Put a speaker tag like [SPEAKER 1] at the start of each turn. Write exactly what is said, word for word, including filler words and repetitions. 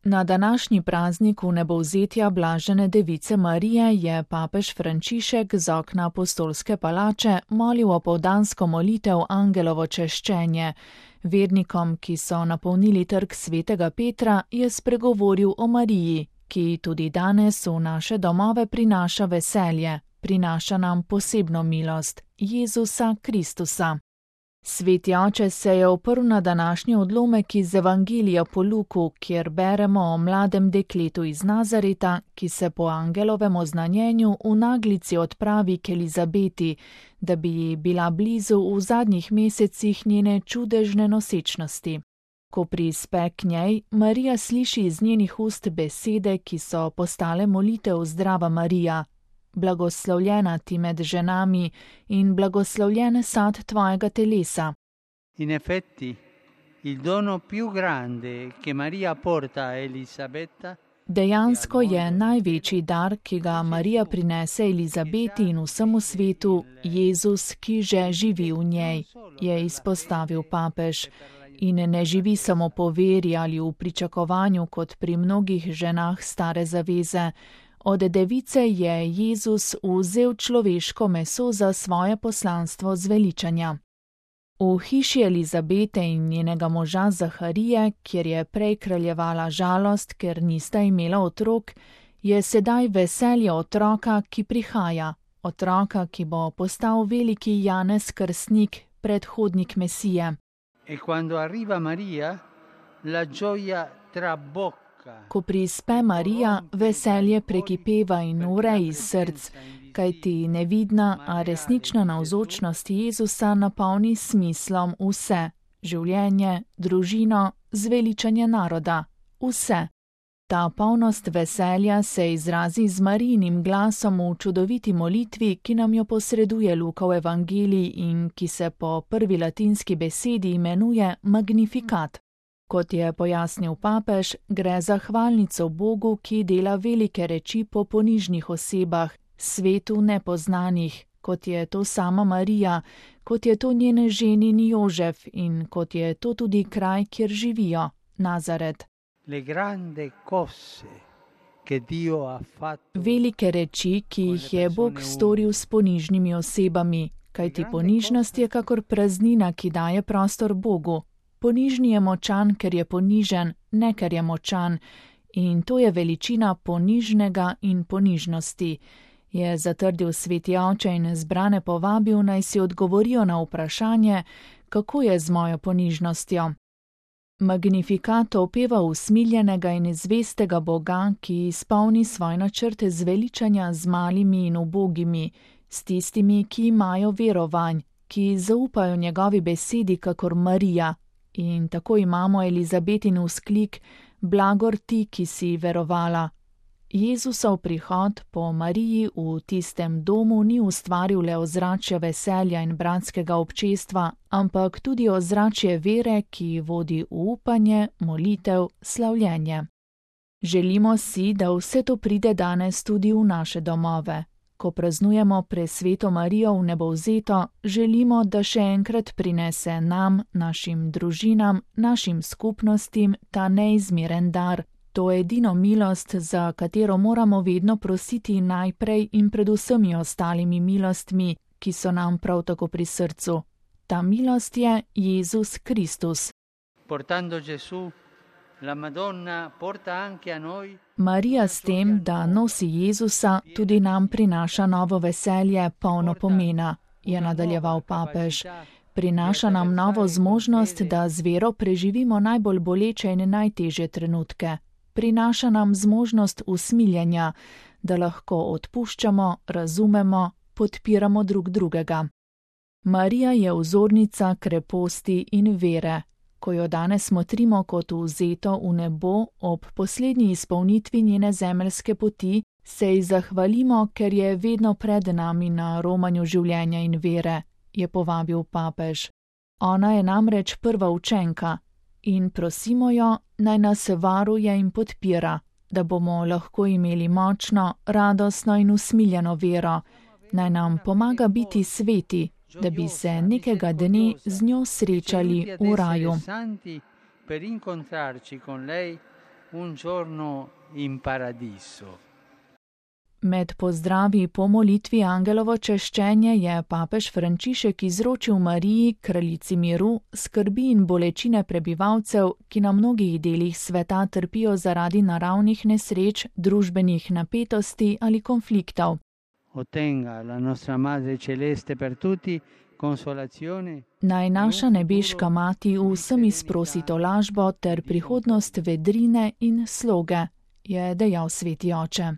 [SPEAKER 1] Na današnji praznik vnebovzetja blažene device Marije je papež Frančišek z okna apostolske palače molil opoldansko molitev Angelovo češčenje. Vernikom, ki so napolnili trg svetega Petra, je spregovoril o Mariji, ki tudi danes v naše domove prinaša veselje, prinaša nam posebno milost, Jezusa Kristusa. Sveti oče se je oprl na današnji odlomek iz Evangelija po Luku, kjer beremo o mladem dekletu iz Nazareta, ki se po angelovem oznanjenju v naglici odpravi k Elizabeti, da bi ji bila blizu v zadnjih mesecih njene čudežne nosečnosti. Ko prispe k njej, Marija sliši iz njenih ust besede, ki so postale molitev Zdrava Marija. Blagoslovljena ti med ženami in blagoslovljen sad tvojega telesa.
[SPEAKER 2] In effetti, il dono più grande che Maria porta a Elisabetta.
[SPEAKER 1] Dejansko je največji dar, ki ga Marija prinese Elizabeti in vsemu svetu, Jezus, ki že živi v njej, je izpostavil papež. In ne živi samo po veri ali v pričakovanju kot pri mnogih ženah stare zaveze. Od device je Jezus vzel človeško meso za svoje poslanstvo zveličanja. V hiši Elizabete in njenega moža Zaharije, kjer je prej kraljevala žalost, ker nista imela otrok, je sedaj veselje otroka, ki prihaja, otroka, ki bo postal veliki Janez Krstnik, predhodnik Mesije.
[SPEAKER 2] E quando arriva Maria, la gioia trabocca.
[SPEAKER 1] Ko prispe Marija, veselje prekipeva in ure iz src, kajti nevidna, a resnična navzočnost Jezusa napolni smislom vse, življenje, družino, zveličanje naroda, vse. Ta polnost veselja se izrazi z Marijinim glasom v čudoviti molitvi, ki nam jo posreduje Lukov evangelij in ki se po prvi latinski besedi imenuje Magnificat. Kot je pojasnil papež, gre za hvalnico Bogu, ki dela velike reči po ponižnih osebah, svetu nepoznanih, kot je to sama Marija, kot je to njene ženin Jožef in kot je to tudi kraj, kjer živijo, Nazaret. Velike reči, ki jih je Bog storil s ponižnimi osebami, kajti ponižnost je kakor praznina, ki daje prostor Bogu. Ponižni je močan, ker je ponižen, ne ker je močan, in to je veličina ponižnega in ponižnosti, je zatrdil sveti oče in zbrane povabil, naj si odgovorijo na vprašanje, kako je z mojo ponižnostjo. Magnificat opeva usmiljenega in zvestega Boga, ki izpolni svoj načrt zveličanja z malimi in ubogimi, s tistimi, ki imajo verovanj, ki zaupajo njegovi besedi kakor Marija. In tako imamo Elizabetin vzklik, blagor ti, ki si verovala. Jezusov prihod po Mariji v tistem domu ni ustvaril le ozračja veselja in bratskega občestva, ampak tudi ozračje vere, ki vodi v upanje, molitev, slavljenje. Želimo si, da vse to pride danes tudi v naše domove. Ko praznujemo presveto Marijo vnebovzeto, želimo, da še enkrat prinese nam, našim družinam, našim skupnostim ta neizmeren dar, to edino milost, za katero moramo vedno prositi najprej in pred vsemi ostalimi milostmi, ki so nam prav tako pri srcu. Ta milost je Jezus Kristus.
[SPEAKER 2] Portando Gesù, la Madonna porta anche a noi.
[SPEAKER 1] Marija s tem, da nosi Jezusa, tudi nam prinaša novo veselje, polno pomena, je nadaljeval papež. Prinaša nam novo zmožnost, da z vero preživimo najbolj boleče in najtežje trenutke. Prinaša nam zmožnost usmiljenja, da lahko odpuščamo, razumemo, podpiramo drug drugega. Marija je vzornica kreposti in vere. Ko jo danes motrimo kot vzeto v nebo ob poslednji izpolnitvi njene zemeljske poti, se ji zahvalimo, ker je vedno pred nami na romanju življenja in vere, je povabil papež. Ona je namreč prva učenka in prosimo jo, naj nas varuje in podpira, da bomo lahko imeli močno, radostno in usmiljeno vero, naj nam pomaga biti sveti, da bi se nekega dne z njo srečali v raju.
[SPEAKER 2] un giorno in paradiso.
[SPEAKER 1] Med pozdravi po molitvi Angelovo češčenje je papež Frančišek izročil Mariji, kraljici miru, skrbi in bolečine prebivalcev, ki na mnogih delih sveta trpijo zaradi naravnih nesreč, družbenih napetosti ali konfliktov.
[SPEAKER 2] Ottenga la nostra Madre Celeste per tutti consolazione.
[SPEAKER 1] Naj naša nebeška mati vsem izprosi tolažbo ter prihodnost vedrine in sloge, je dejal sveti oče.